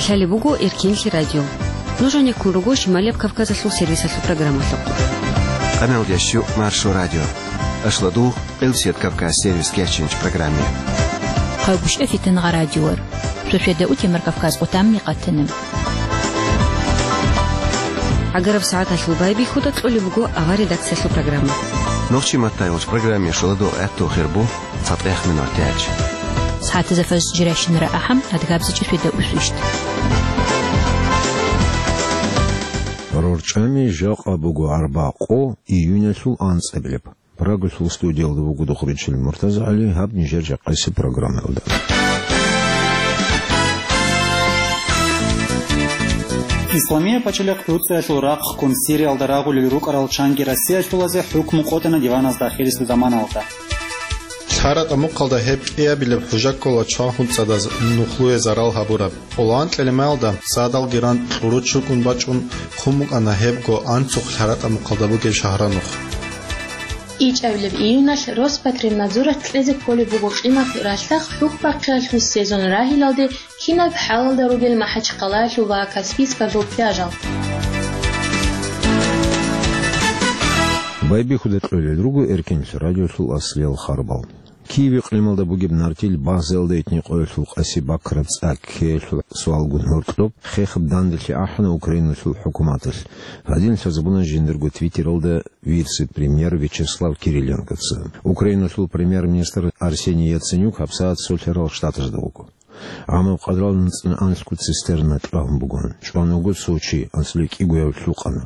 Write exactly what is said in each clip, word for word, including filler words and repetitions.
Лъалеб буго Эркенлъи радио. Нуж гьанеккун руго Шималияб Кавказалъул сервисалъул программалъухъ. Къаналдящу Маршо радио. Ашладугъ, Элсет Кавказ сервис кечинч программе. Хъайбушев Фитангъа радиор. Шошеда утемар Кавказ къутамни къатана. Агараб сагӀаталъул байбихьуда кьолеб буго авар редакциялъул программа. Нохчи маттайгъуч программе шоладо гӀатту хирбу. ЦатӀехъ минуталъ. СагӀатазда фажр жирайщинара ахӀам, адгабзичӀеб шведа усвищт. РорчӀами жакъа буго арбакъо июнялъул анцӀабилеб. Прагалъул студиялда вуго Духричил МуртазагӀали, гьаб нижер жакъасеб программаялда. Исламия пачалихъ ГӀуцӀиялъул рахъ ккун Сириялда рагъулел рукӀарал чанги Россиялъулазе хӀукму къотӀана диваназда ахирисеб заманалда. ЛъаратӀа мухъалда гьеб кӀиабилеб хӀужа ккола чвахун цӀадаз нухлуе зарал гьабураб. Къоло анкьилеб майалда цадалги ран кьуру чукӀун бачӀун хъун букӀана гьебго анцухъ лъаратӀа мухъалда бугеб шагьранухъ. ИчӀабилеб июналъ Роспотребнадзоралъ кьезе кколеб буго къимат ралъдахъ хӀухьбахъиялъул сезон рагьилалде кинаб хӀалалда ругел МахӀачхъалаялъул ва Каспийскалъул пляжал. Байбихьуда кьолел руго Эркенлъи радиолъул аслиял харбал. Киев икълималда бугеб нартил базаялда этникъоялъул къаси бакраб цӀа ккеялъул суалгун гьоркьоб хехаб данделъи ахӀана Украиналъул хӀукуматалъ. Гьадин лъазабуна жиндирго твиттералда вице-премьер Вячеслав Кириленкоца. Украиналъул премьер-министр Арсений Яценюк гьабсагӀат Солъарал Штатазда вуго. ГӀамаб къадрал нуцӀна анлъго цистерна кьван бугун, чӀван вуго Сочи, анцӀила кӀигояв лъукъана.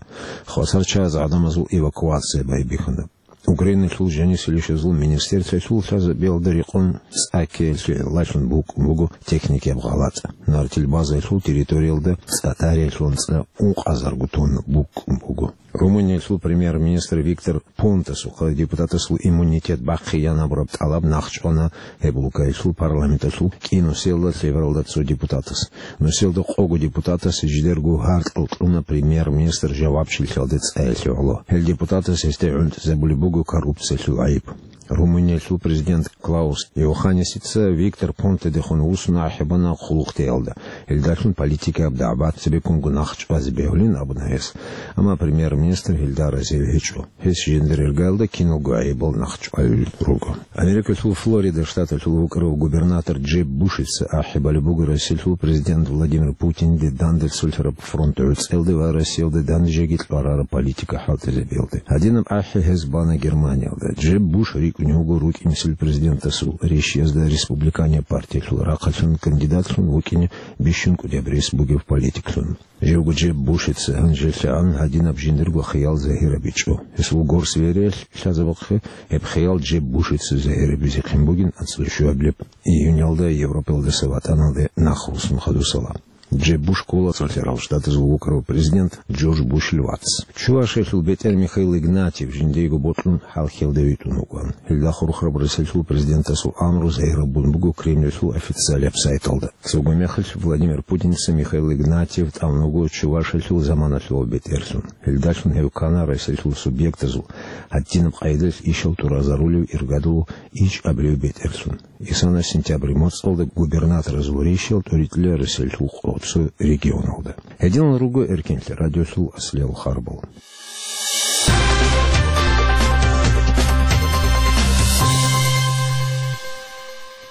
Хвасарчагьаз гӀадамазул эвакуация байбихьана. Украиналъул жанисел ишазул министерствоялъул лъазабиялда рекъон цӀа ккеялъе гӀиллалъун букӀун буго техникияб гъалатӀ. Нартил базаялъул территориялда цӀа тариялъулан цӀа ункъазарго тонна букӀун буго. Румыниялъул премьер-министр Виктор Понтасухъа депутатасул иммунитет бахъиянабураб тӀалаб нахъчӀвана гьеб улкаялъул парламенталъул кӀинусиялда лъебералда цо депутатас. Нусиялда къого депутатас жидерго гьаркьал кьуна премьер-министр жавабчилъиялде цӀаялъе гӀоло. Гьел депутатас гьесде гӀунтӀизабулеб буго коррупциялъул гӀайиб. Румыниялъул президент Клаус Йоханнесица Виктор Понтедехун вуссун ахӀи бана хъулухътеялда. Гьелдалъун политикаяб дагӀбат цебеккунго нахъ чӀвазе бегьулин абуна гьес. Амма премьер-министр гьелда разил гьечӀо. Гьес жиндир иргаялда киналго гӀайибал нахъ чӀвалел руго. Америкалъул Флорида штаталъул вукӀарав губернатор Джеб Бушица ахӀи балеб буго Россиялъул президент Владимир Путинде данде цолъараб фронт гӀуцӀелде ва Россиялде данде жеги кьварараб политика хӀалтӀизабиялде. Гьадинаб ахӀи гьез бана Германиялда. Джеб Буш рикӀкӀунев вуго рукӀинсел президентасул рещиязда республиканияб партиялъул рахъалъун кандидатлъун вукӀине бищун кӀудияб рес бугев политиклъун. Живго Джеб Бушица гьанжелъагӀан гьадинаб жиндирго хиял загьирабичӀо. Гьесул горс вериялъ лъазабухъе гьеб хиял Джеб Бушица загьирабизехъин бугин анцӀила щуабилеб июньалда Европалдаса ватӀаналде нахъ руссун хадусала. Джеб Буш ккола Цолъарал Штатазул вукӀарав президент Джордж Бушил вац. Чувашиялъул бетӀер Михаил Игнатьев жиндиего бокьун хӀалхьиялде витӀун вукӀана. Гьелда хурхараб Россиялъул президентасул амру загьирабун буго Кремльалъул официалияб сайталда. Цого мехалъ Владимир Путинца Михаил Игнатьев тӀамун вуго Чувашиялъул заманалъул бетӀерлъун. Гьелдалъун гьев ккана Россиялъул субъектазул гьадинаб къайдалъ ишал тӀуразарулев иргадулев ичӀабилев бетӀерлъун. Исана сентябрь моцӀалда губернаторазул рещтӀел тӀоритӀила Россиялъул къо-, цо регионалда. Гьединал руго Эркенлъи радиолъул аслиял харбал.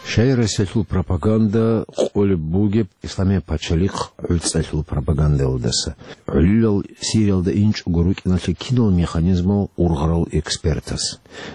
Щай Россиялъул пропаганда къулеб бугеб Исламияб пачалихъ гӀуцӀалъул пропагандалдаса? ГӀолилал Сириялда инчӀого рукӀиналъе кинал механизмал ургъарал экспертас?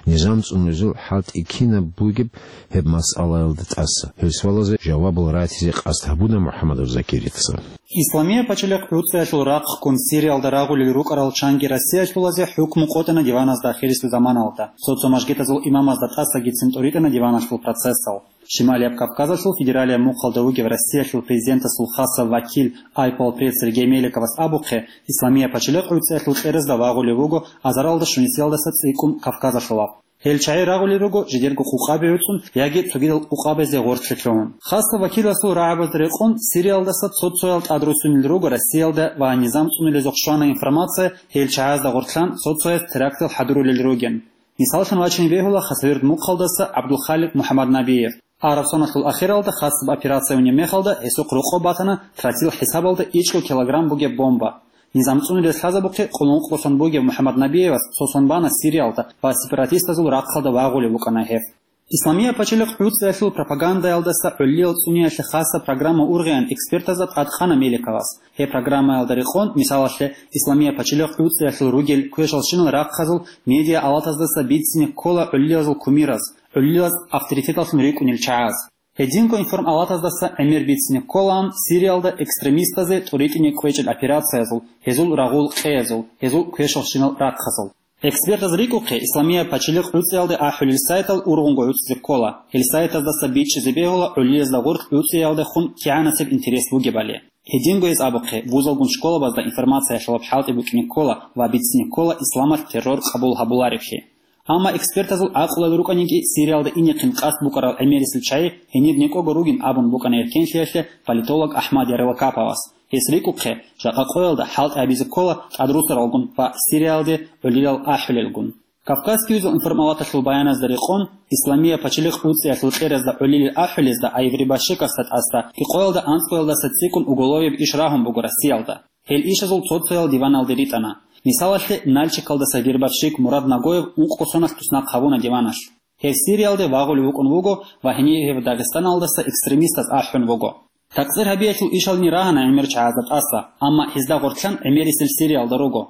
Низам цӀунулезул хӀалтӀи кинаб бугеб гьеб масъалаялда тӀаса? Гьел суалазе жавабал ратизе къасд гьабуна МухӀаммадов Закирица. Исламия пачалихъ гӀуцӀиялъул рахъ ккун Сириялда рагъулел рукӀарал чанги Россиялъулазе хӀукму къотӀана диваназда ахирисеб заманалда. Цо-цо мажгитазул имамазда тӀасагицин тӀоритӀана диваналъул процессал. Шималияб Кавказалъул федералияб мухъалда вугев Россиялъул президентасул хасав вакил, айпал пресс Сергей Меликовас абухъе, Исламия пачалихъ гӀуцӀиялъул кьеразда вагъулев вуго азаралда щунисиялдаса цӀикӀкӀун Кавказалъулаб. Гьел чагӀи рагъулел руго жидерго къукъаби гӀуцӀун яги цогидал къукъабазе гъорлъе лъугьун. Хасав вакиласул рагӀабазда рекъон Сириялдаса цо-цоял тӀадруссунел руго Россиялда ва низам цӀунулезухъ щвана информация гьел чагӀазда гъорлъан цо-цояс терактал хӀадурулел ругин. Мисаллъун вачине бегьула Хасавюрт мухъалдаса ГӀабдулхаликъ МухӀаммаднабиев. Араб соналъул ахиралда хасаб операция унеб мехалда гьесухъ рокъоб батана тротил хӀисабалда ичӀго килограмм бугеб бомба. Низам цӀунулез лъазабухъе къуллукъго сон бугев МухӀаммад Набиевас цо сон бана Сириялда ва сепаратистазул рахъалда вагъулев вукӀана гьев. Исламия пачалихъ гӀуцӀиялъул пропагандаялдаса гӀоллиял цӀуниялъе хасаб программа ургъеян экспертазда тӀадкъана Меликовас. Гьеб программаялда рекъон, мисалалъе, Исламия пачалихъ гӀуцӀиялъул ругел квешалщинал рахъазул медиа-алатаздаса бицине ккола гӀоллиязул кумираз, гӀоллияз авторитеталлъун рикӀкӀунел чагӀаз. Гьединго информалатаздаса гӀемер бицине кколаан Сириялда экстремистазе тӀуритӀине кӀвечӀел операциязул, гьезул рагъул къеязул, гьезул квешалщинал рахъазул. Экспертаз рикӀухъе, Исламия пачалихъ гӀуцӀиялде ахӀулел сайтал ургъунго гӀуцӀизе ккола, гьел сайтаздаса бичӀчӀизе бегьула гӀоллиязда гъоркь гӀуцӀиялдехун кигӀанасеб интерес бугебали. Гьединго гьез абухъе, вузалгун школабазда информациялъулаб хӀалтӀи букӀине ккола ва бицине ккола исламалъ террор къабул гьабулареблъи. Амма экспертазул гӀакълуялда рукӀаниги, Сириялда инехъин къасд букӀарал гӀемерисел чагӀи гьенир некӀого ругин абун букӀана эркенлъиялъе политолог Ахмад Ярлыкаповас. Гьес рикӀухъе, жакъа къоялда хӀалтӀи гьабизе ккола тӀадрусаралгун ва Сириялде гӀолилал ахӀулелгун. Кавказский узел информалаталъул баяназда рекъон, Исламия пачалихъ гӀуцӀиялъул кьеразда гӀолилел ахӀулезда Айври Башикасда тӀаса къоялда анцӀгоялдаса цӀикӀкӀун уголовияб иш рагьун буго Россиялда. Гьел ишазул цо-цоял диваналде ритӀана. Мисалалъе, Нальчикалдаса гербарщик Мурад Нагоев ункъго соналъ туснахъ гьабуна диваналъ. Гьев Сириялде вагъулев вукӀун вуго ва гьенив гьев Дагъистаналдаса экстремистаз ахӀун вуго. Такъсир гьабиялъул ишални рагьана гӀемер чагӀазда тӀаса, амма гьезда гъоркьан гӀемерисел Сириялда руго.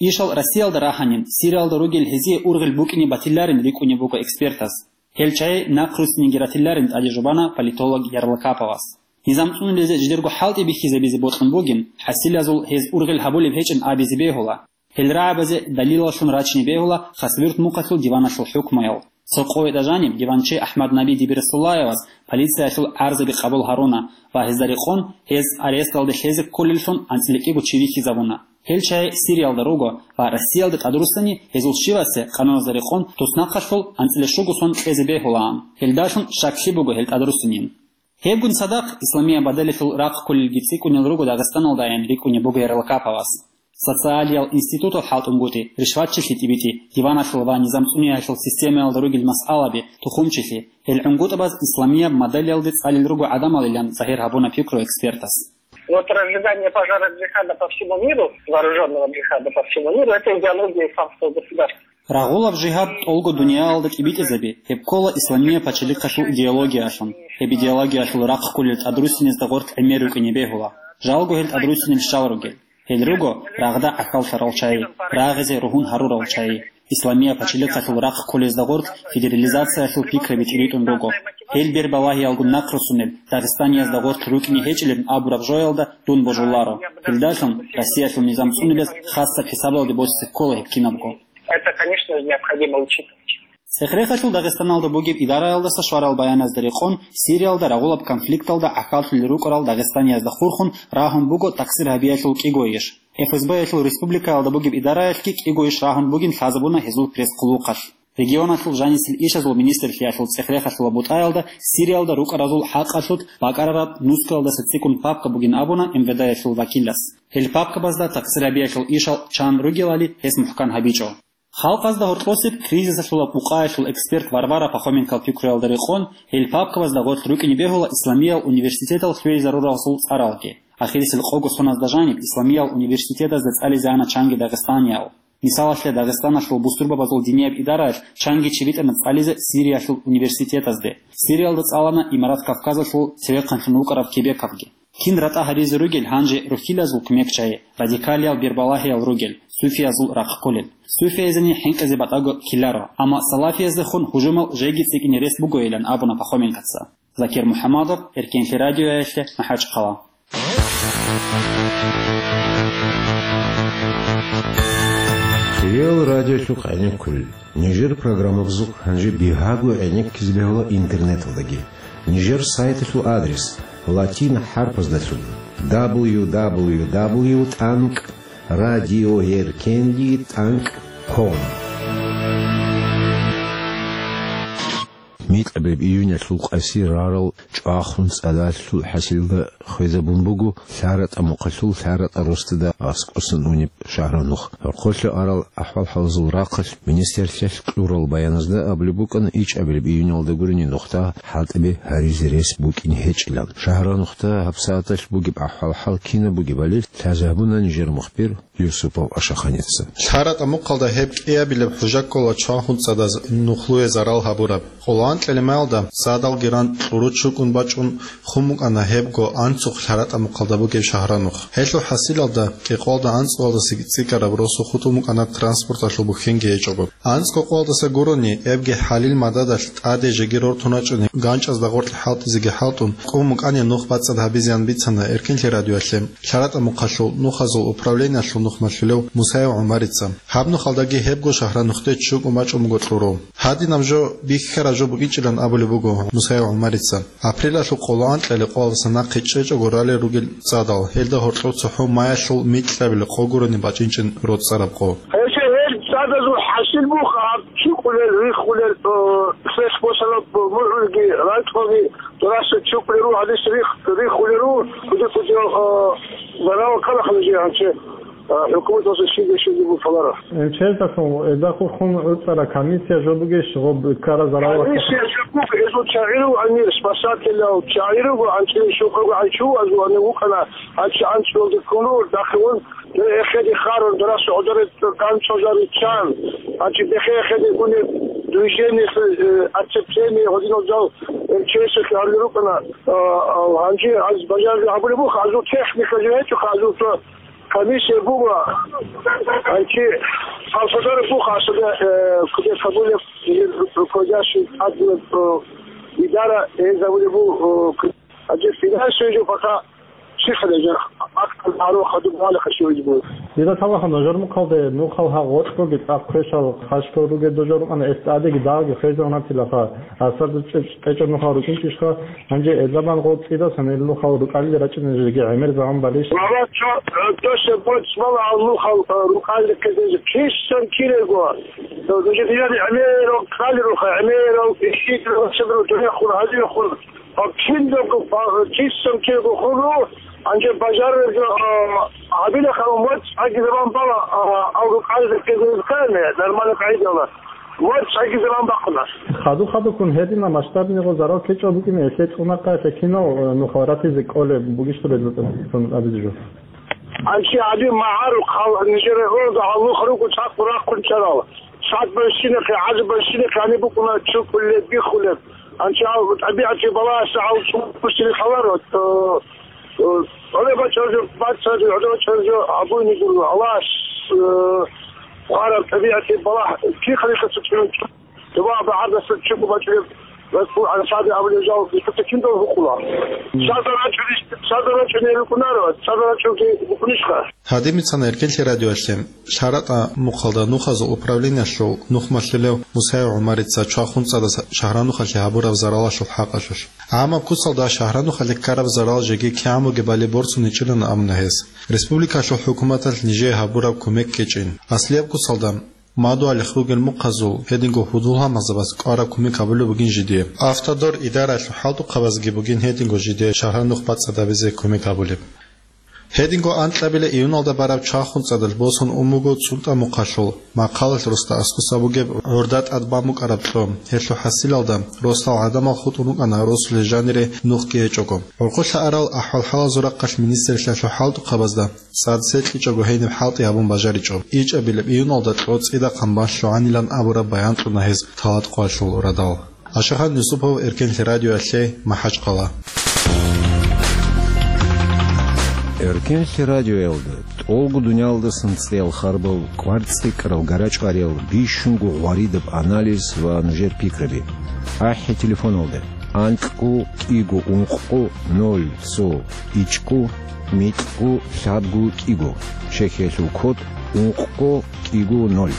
Ишал Россиялда рагьанин, Сириялда ругел гьезие ургъел букӀине батиларин рикӀкӀунеб буго экспертаз. Гьел чагӀи нахъруссиниги ратиларин тӀаде жубана политолог Ярлыкаповас. Низам цӀунулезе жидерго хӀалтӀи бихьизабизе бокьун бугин, хӀасилазул гьез ургъел гьабулеб гьечӀин абизе бегьула. Гьел рагӀабазе далилаллъун рачине бегьула Хасавюрт мухъалъул диваналъул хӀукмуял. Цо къоялда жаниб диванчи Ахмад Наби Дибирасуллаевас полициялъул гӀарзаби къабул гьаруна ва гьезда рекъон гьез аресталде лъезе кколеллъун анцӀила кӀиго чи вихьизабуна. Гьел чагӀи Сириялда руго ва Россиялда тӀадруссани гьезул щивасе къануналда рекъон туснахъалъул анцӀила щуго сон кьезе бегьулаан. Гьелдалъун щаклъи буго гьел тӀадруссинин. Гьебгун цадахъ Исламия бадалалъул рахъ кколелги цӀикӀкӀунел руго Дагъистаналдайин рикӀкӀунеб буго Ярлыкаповас. Социалиял институтал хӀалтӀунгутӀи, ришватчилъи тӀибитӀи, диваналъул ва низам цӀуниялъул системаялда ругел масъалаби, тухумчилъи, гьел гӀунгутӀабаз Исламияб мадалиялде цӀалел руго гӀадамалилан загьир гьабуна пикру экспертас. Вот разжигание пожара джихада по всему миру, вооружённого джихада по всему миру, это идеология исламского государства. Рагъулаб жигьад тӀолго дуниялалда тӀибитӀизаби, гьеб ккола Исламия пачалихъалъул идеологиялъун. Гьеб идеологиялъул рахъ кколел тӀадруссинезда гъоркь гӀемер рукӀине бегьула. Жалго гьел тӀадруссинел щал ругел. Гьел руго рагъда гӀахьаллъарал чагӀи, рагъизе ругьун гьарурал чагӀи. Исламия пачалихъалъул рахъ кколезда гъоркь федерализациялъул пикраби тӀибитӀун руго. Гьел бербалагьиялгун нахъруссунел Дагъистаниязда гъоркь рукӀине гьечӀилан абураб жоялда дун божуларо. Гьелдалъун Россиялъул низам цӀунулес хасаб хӀисабалде босизе ккола гьеб кинабго. Это, конечно же, необходимо учитывать. ЦӀехрехалъул Дагъистаналда бугеб идараялдаса щварал баяназда рекъон, Сириялда рагъулаб конфликталда гӀахьаллъулел рукӀарал Дагъистаниязда хурхун рагьун буго такъсир гьабиялъул кӀиго иш. ФСБ-ялъул республикаялда бугеб идараялъги кӀиго иш рагьун бугин лъазабуна гьезул пресс-хъулухъалъ. Регионалъул жанисел ишазул министрлъиялъул цӀехрехалъула бутӀаялда Сириялда рукӀаразул хӀакъалъулъ бакӀарараб нускалдаса цӀикӀкӀун папка бугин абуна МВД-ялъул вакилас. Гьел папкабазда такъсир гьабиялъул ишал чан ругелали гьес мухӀкан гьабичӀо. Халкъазда гьоркьосеб кризисалъула букъаялъул эксперт Варвара Пахоменкал пикруялда рекъон, гьел папкабазда гъорлъ рукӀине бегьула Исламиял университетал лъугӀизаруралъул цӀаралги. Ахирисел къого соназда жаниб Исламиял университетазда цӀализе ана чанги дагъистаниял. Мисалалъе, Дагъистаналъул бусурбабазул динияб идараялъ чанги чи битӀана цӀализе Сириялъул университетазде. Сириялда цӀалана Имарат Кавказалъул цевехъанлъун вукӀарав Кебековги. Кин ратӀа гьабизе ругел гьанже рухьилазул кумекчагьи, радикалиял бербалагьиял ругел, суфиязул рахъ кколел. Суфияйзени хӀинкъизе батӀаго ккеларо, амма салафияздехун гьужумал жеги цӀикӀкӀине рес бугойилан абуна Пахоменкоца. Закир МухӀаммадов, Эркенлъи радиоялъе, МахӀачхъала. Хириял радиолъухъ гӀенеккулел. Нижер программабазухъ гьанже бигьаго гӀенеккизе бегьула интернеталдаги. Нижер сайталъул адрес латин хӀарпаздалъун: дабл ю дабл ю дабл ю тӀанкӀ радиоэркенли тӀанкӀ ком. Микьабилеб июнялъул къаси рарал чӀвахун цӀадалъул хӀасилда хвезабун буго ЛъаратӀа мухъалъул ЛъаратӀа росдада аскӀосан унеб шагьранухъ. ХӀорхолъа арал ахӀвал-хӀалазул рахъалъ министрлъиялъ кьурал баяназда абулеб букӀана ичӀабилеб июнялда гурени нухда хӀалтӀаби гьаризе рес букӀин гьечӀилан. Шагьранухда гьабсагӀаталъ бугеб ахӀвал-хӀал кинаб бугебали лъазабуна нижер мухбир Юсупов Ашаханица. ЛъаратӀа мухъалда гьеб кӀиабилеб хӀужа ккола чвахун цӀадаз нухлуе зарал гьабураб. Къоло анкьилеб маялда цӀадалги ран кьуру чукӀун бачӀун хун букӀана гьебго анцухъ ЛъаратӀа мухъалда бугеб шагьранухъ. Гьелъул хӀасилалда кӀикъоялда анцӀгоялдаса цӀикӀкӀараб росу хутӀун букӀана транспорталъул бухьинги гьечӀого. АнцӀго къоялдаса гурони, эбги хӀалил мададалъ тӀаде жеги рортун рачӀуни, ганчӀазда гъоркье хӀалтӀизеги хӀалтӀун, кӀун букӀани нух бацӀцӀад гьабизеян бицана Эркенлъи радиоялъе ЛъаратӀа мухъалъул нухазул управлениялъул нухмалъулев Мусаев ГӀумарица. Гьаб нухалдаги гьебго шагьранухъде чукӀун бачӀун буго кьуру. Гьадинаб жо бихьараб жо букӀинчӀилан абулеб буго Мусаев ГӀумарица. Апрелалъул къоло анкьалил къоялдаса нахъе чӀечӀого ралел ругел цӀадал, гьелда гьоркьов цохӀо маялъул микьабилеб къо гурони бачӀинчӀин роцӀцӀараб къо. Гьелъе гьел цӀадазул хӀасил буха гьаб чукӀулел, риххулел, о, хвех босараб мугӀулги, ракьалги, дураса чукӀулел руго, гьадис рих-, риххулел руго, куди-куди, о, зарал ккарахъа нижее гьанже. А, хӀукуматалъул щиб-щиб бутӀаларо. МЧС-алъул эдахъухъун гӀуцӀараб комиссия жо бугищ гъоб ккараб заралалъул? Комиссия жо буго, гьезул чагӀи руго гьанир, спасателял чагӀи руго, анцӀила щокъого гӀанчу, азул гьанив вукӀана, анцӀ-, анцӀгоялде ккун руго, дагьабун, дир эхеде харун, дураса гӀодоре ганцӀазари чан, гьанчи бехе эхеде унеб движение, э, оцепление, гьодинал жал МЧС-алъе гьарулел рукӀана, а, а, гьанже аз бажарли гьабулеб буха, азул техника жо гьечӀоха, азул цо комиссия буго, анцӀи Алсадар буха, асада, э, кудес гьабулеб, э, руководящий админ, э, идара, э, гьабулеб бу-, э, к-, анцӀи финансовый жо пока сихале жо, акт гьарун хадуб гьалихъа щивизе буго. Дида талаха, нужер мухъалде нухал гьа гъоркьоги цӀакъ квешал хъалъ ругел дужа рукӀана, эс тӀадеги дагьги хвезегӀунатилаха. Асарда чӀе-, чӀечӀеб нухал рукӀинчӀищха? Гьанже эзабан гъол цӀидасан гьел нухал рукӀалил рачӀинеги гӀемер заман балищ? Валлагь, цо, э, досе боцӀ бала гьал нухал, э, рукӀалил ккезеги кисан кирего. Э, нужер динар гӀемерал ккалируха, гӀемерал ишидрал чедро дурехун, гьадинахун. Э, киндего, э, кисан кирего хулу, гьанже бажарарго, э, гьабилахъа моцӀ гьаги заман бала, э, гьал рукӀалил ккезеги ккани, нормально къайдала. Ва цаги заман бахъуна. Хаду-хадуккун гьедина масштабниго зарал ккечӀеб букӀине, гьелъе цӀунахъа гьелъе кинал, э, нухал ратизе кӀолеб бугищ дурезул тӀад абизе жо? АнцӀи гьаби магӀарухъ гьал нижер гӀуруда гьал нух руго цӀакъ рахъун чӀарал. Цад бащинахъе, гӀаз бащинахъе гьаниб букӀуна чукулеб, биххулеб. АнцӀи гьал тӀабигӀатги балагьаса гьал цӀун бусири халаро, э, Гьале бачӀаржо, бачӀаржо, гьале бачӀаржо, абуни гуро, Аллагьас, э, хъвараб тӀабигӀатги балагь, кин халихъаса чӀун, дуба багӀардаса чӀугу бачӀараб, Расул Ансаби абулев жал, бихьуца киндал гьукъула. ШазарачӀуни, шазарачӀуни рукӀунаро, шазарачӀунги букӀунищха? Гьадин бицана Эркенлъи радиоялъе ЛъаратӀа мухъалда нухазул управлениялъул нухмалъулев Мусаев ГӀумарица чвахун цӀадаз шагьранухъалъе гьабураб заралалъул хӀакъалъулъ. ГӀамаб куцалда шагьранухъалъе ккараб зарал жеги кигӀан бугебали борцуничӀилан абуна гьес. Республикалъул хӀукуматалъ нижее гьабураб кумек ккечӀин. Аслияб куцалда мадугьалихъ ругел мухъазул гьединго гьудул-гьалмагъзабаз кӀвараб кумек гьабулеб бугин жидее. Автодор идараялъул хӀалтӀухъабазги бугин гьединго жидее шагьранухъ бацӀцӀадабизе кумек гьабулеб. Гьединго анкьабилеб июналда бараб чвахун цӀадалъ босун ун буго ЦӀунтӀа мухъалъул Махъалалъ росда аскӀоса бугеб гӀурда тӀад бан букӀараб кьо. Гьелъул хӀасилалда росдал гӀадамал хутӀун рукӀана росулел жанире нухги гьечӀого. ГӀурхъулъа арал ахӀвал-хӀалазул рахъалъ министрлъиялъул хӀалтӀухъабазда цӀад секьичӀого гьениб хӀалтӀи гьабун бажаричӀо. ИчӀабилеб июналда кьо цӀидахъан бан лъугӀанилан абураб баян кьуна гьез Талаткъоялъул радал. Ашахан Юсупов, Эркенлъи радиоялъе, МахӀачхъала. Эркенлъи радиоялда тӀолго дуниялдасан цӀеял харбал, кӀвар цӀикӀкӀарал, гарачӀ-гъариял, бищунго гъваридаб анализ ва нужер пикраби. АхӀи телефоналда: анкьго кӀиго ункъго ноль цо ичӀго микьго лъабго кӀиго, чехьиялъул код ункъго кӀиго ноль.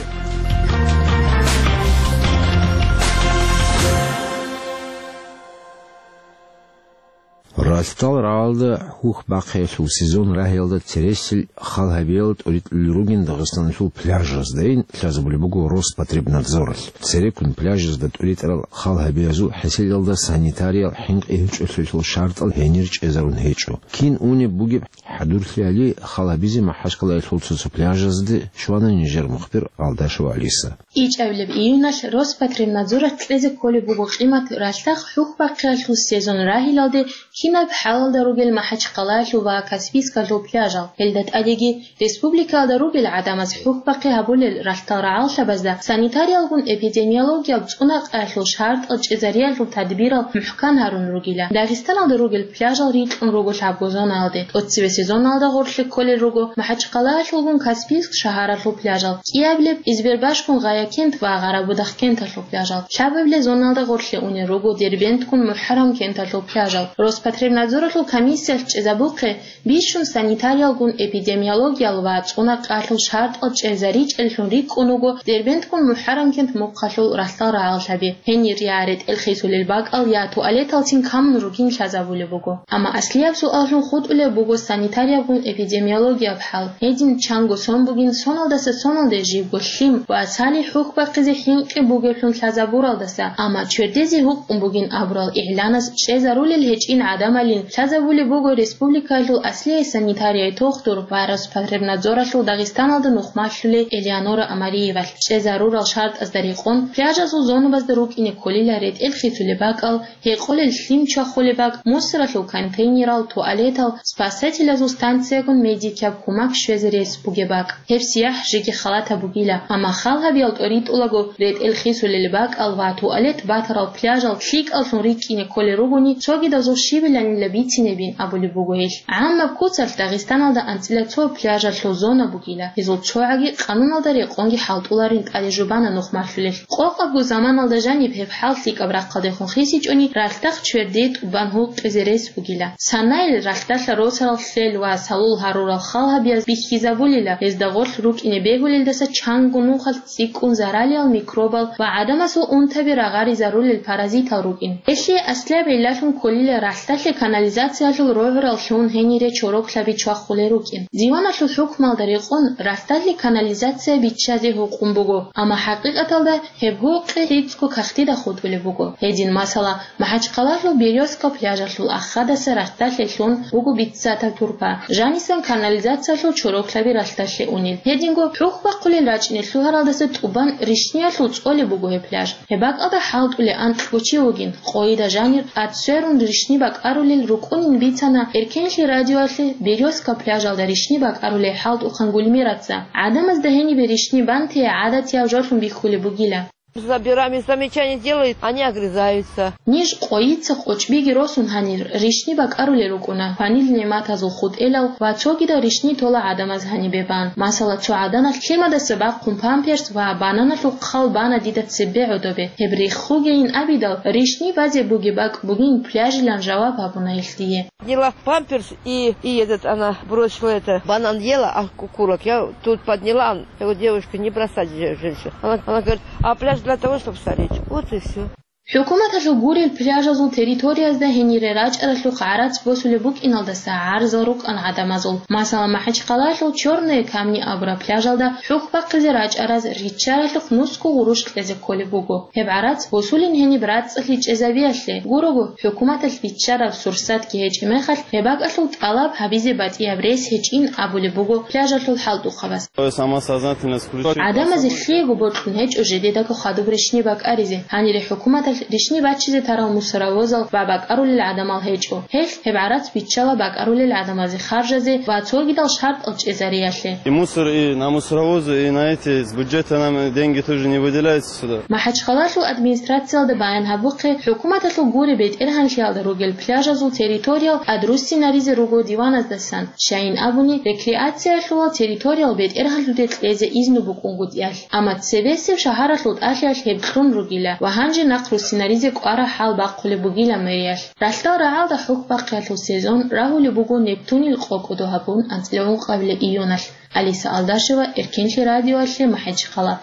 Ралъдал рагӀалда хӀухь бахъиялъул сезон рагьиялда цересел хал гьабиялда тӀоритӀулел ругин Дагъистаналъул пляжаздайин лъазабулеб буго Роспотребнадзоралъ. Цереккун пляжазда тӀоритӀарал хал гьабиязул хӀеселалда санитариял хӀинкъи гьечӀолъиялъул шартӀал гьенир чӀезарун гьечӀо. Кин унеб бугеб хӀадурлъи гьали хал гьабизе МахӀачкъалаялъул цо-цо пляжазде щвана нижер мухбир Алдашева Алиса. ИчӀабилеб июналъ Роспотребнадзоралъ кьезе кколеб буго къимат ралъдахъ хӀухь бахъиялъул сезон рагьилалде кинаб хӀалалда ругел МахӀачкъалаялъул ва Каспийскалъул пляжал. Гьелда тӀадеги республикаялда ругел гӀадамаз хӀухь бахъи гьабулел ралъдал рагӀаллъабазда санитариялгун эпидемиологияб цӀунакъаялъул шартӀал чӀезариялъул тадбирал мухӀкан гьарун ругила. Дагъистаналда ругел пляжал рикьун руго лъабго зонаялде. ТӀоцебе сезоналда гъорлъе кколел руго МахӀачкъалаялъулгун Каспийск шагьаралъул пляжал, кӀиабилеб Избербашгун Гъаякент ва Гъарабудахъ кенталъул пляжал, лъабабилеб зоналда гъорлъе унел руго Дербенткун МухӀарам кенталъул пляжал. Роспотребнадзоралъул комиссиялъ чӀезабухъе бищун санитариялгун эпидемиологиял ва цӀунакъаялъул шартӀал чӀезаричӀеллъун рикӀкӀун руго Дербенткун МухӀарам кент мухъалъул ралъдал рагӀаллъаби. Гьенир я ретӀел хисулел бакӀал, я туалеталцин камун ругин лъазабулеб буго. Амма аслияб суаллъун хутӀулеб буго санитариябгун эпидемиологияб хӀал. Гьедин чанго сон бугин соналдаса соналде жибго лъим ва салихӀ хӀухь бахъизе хӀинкъи бугеблъун лъазабуралдаса, амма чвердезе гьукъун бугин абурал игӀланас чӀезарулел гьечӀин гӀадамалин лъазабулеб буго республикаялъул аслияй санитарияй тухтур ва Роспотребнадзоралъул Дагъистаналда нухмалъулей Элеонора Амариевалъ. ЧӀезарурал шартӀазда рекъон, пляжазул зонабазда рукӀине кколила ретӀел хисулеб бакӀал, гьекъолел лъим чвахулеб бакӀ, мусоралъул контейнерал, туалетал, спасателазул станциягун медикияб кумак щвезе рес бугеб бакӀ. Гьеб сияхӀ жеги халатаб бугила, амма хал гьабиял тӀоритӀулаго ретӀел хисулел бакӀал ва туалет батарал пляжал лъикӀаллъун рикӀкӀине кколел ругони, цогидазул щибиланила бицинебин абулеб буго гьелъ. ГӀаммаб куцалъ Дагъистаналда анцӀила цо пляжалъул зона бугила, гьезул цогӀаги къануналда рекъонги хӀалтӀуларин тӀаде жубана нухмалъулелъ. Къокъабго заманалда жаниб гьеб хӀал лъикӀаб рахъалдехун хисичӀони, ралъдахъ чверде тӀубан гьукъизе рес бугила. Санайил ралъдалъа росарал лъел ва салул гьарурал хал гьабияз бихьизабулила, гьезда гъорлъ рукӀине бегьулелдаса чанго нухалъ цӀикӀкӀун заралиял микробал ва гӀадамасул унтаби рагъаризарулел паразитал рукӀин. Гьелъие аслияб гӀиллалъун кколила ралъдалъе канализациялъул рогӀурал лъун гьенире чороклъаби чвахулел рукӀин. Диваналъул хӀукмалда рекъон ралъдалъе канализация биччазе гьукъун буго, амма хӀакъикъаталда гьеб гьукъи лъицӀго кагътида хутӀулеб буго. Гьедин, масала, МахӀачхъалалъул Берёзка пляжалъул ахадаса ралъдалъе лъун буго биццатаб турпа, жанисан канализациялъул чороклъаби ралъдалъе унел. Гьединго хӀухь бахъулел рачӀине лъугьаралдаса тӀубан ришниялъул цӀолеб буго гьеб пляж. Гьеб бакӀалда хӀалтӀулей анкьго чи вугин, къойида жанир тӀад сверун ришни бакӀарулел рукӀунин бицана Эркенлъи радиоялъе Берёзка пляжалда ришни бакӀарулей хӀалтӀухъан Гульмираца. ГӀадамазда гьенибе ришни бантие гӀадатияв жолъун бихьулеб бугила. Забираем, и замечания делают, они огрызаются. Ниж къойица къочӀбиги росун гьанир ришни бакӀарулел рукӀуна, кванил нигӀматазул хутӀелал ва цогидал ришни тола гӀадамаз гьанибе бан. Масала, цо гӀаданалъ лъимадаса бахъун памперс ва бананалъул хъал бана дида цебе гӀодобе. Гьеб рехугейин абидал, ришни базе бугеб бакӀ бугин пляжилан жаваб гьабуна гьелъ дие. Подняла памперс и, и этот, она бросила это, банан ела, а кукурок. Я тут подняла, я говорю: «Девушка, не бросать же женщину». Она, она говорит: «А пляж для того, чтобы стареть». Вот и всё. ХӀукуматалъул гурел пляжазул территориязда гьенире рачӀаралъухъ гӀарац босулеб букӀиналдаса гӀарзал рукӀан гӀадамазул. Масала, МахӀачхъалалъул Чёрные камни абураб пляжалда хӀухь бахъизе рачӀараз риччаралъухъ нусго гъурущ кьезе кколеб буго. Гьеб гӀарац босулин гьениб рацӀцӀалъи чӀезабиялъе гурого, хӀукуматалъ биччараб сурсатги гьечӀеб мехалъ, гьеб бакӀалъул тӀалаб гьабизе батӀияб рес гьечӀин абулеб буго пляжалъул хӀалтӀухъабаз. То есть самосознательность включить. ГӀадамазе лъиего бокьун гьечӀо жидедаго хадуб ришни бакӀаризе. Гьанире хӀукуматалъ ришни бачизе тарал мусоровозал ва бакӀарулел гӀадамал гьечӀо. Гьелъ гьеб гӀарац биччала бакӀарулел гӀадамазе харжазе ва цогидал шартӀал чӀезариялъе. И мусор, и на мусоровозы, и на эти, с бюджета нам деньги тоже не выделяются сюда. МахӀачхъалалъул администрациялда баян гьабухъе, хӀукуматалъул гуре бетӀергьанлъиялда ругел пляжазул территориял тӀадруссинаризе руго диваназдасан, щайин абуни, рекреациялъулал территориял бетӀергьанлъуде кьезе изну букӀунгутӀиялъ. Амма цебесеб шагьаралъул тӀалъиялъ гьеб кьун ругила ва гьанже нахъруссинаризе кӀвараб хӀал бахъулеб бугила мэриялъ. Ралъдал рагӀалда хӀухь бахъиялъул сезон рагьулеб буго Нептунил къо-кӀодо гьабун анцӀила ункъабилеб июналъ. Алиса Алдашева, Эркенлъи радиоялъе, МахӀачхъала.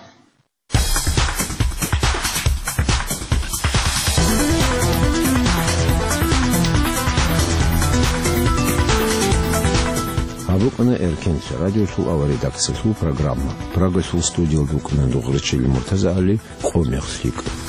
Букъана Эркенлъи радиолъул авария редакциялъул программа. Прагалъул студиялда вукӀана Дугърачил МуртазагӀали, «Къо мехалъ гьикъ».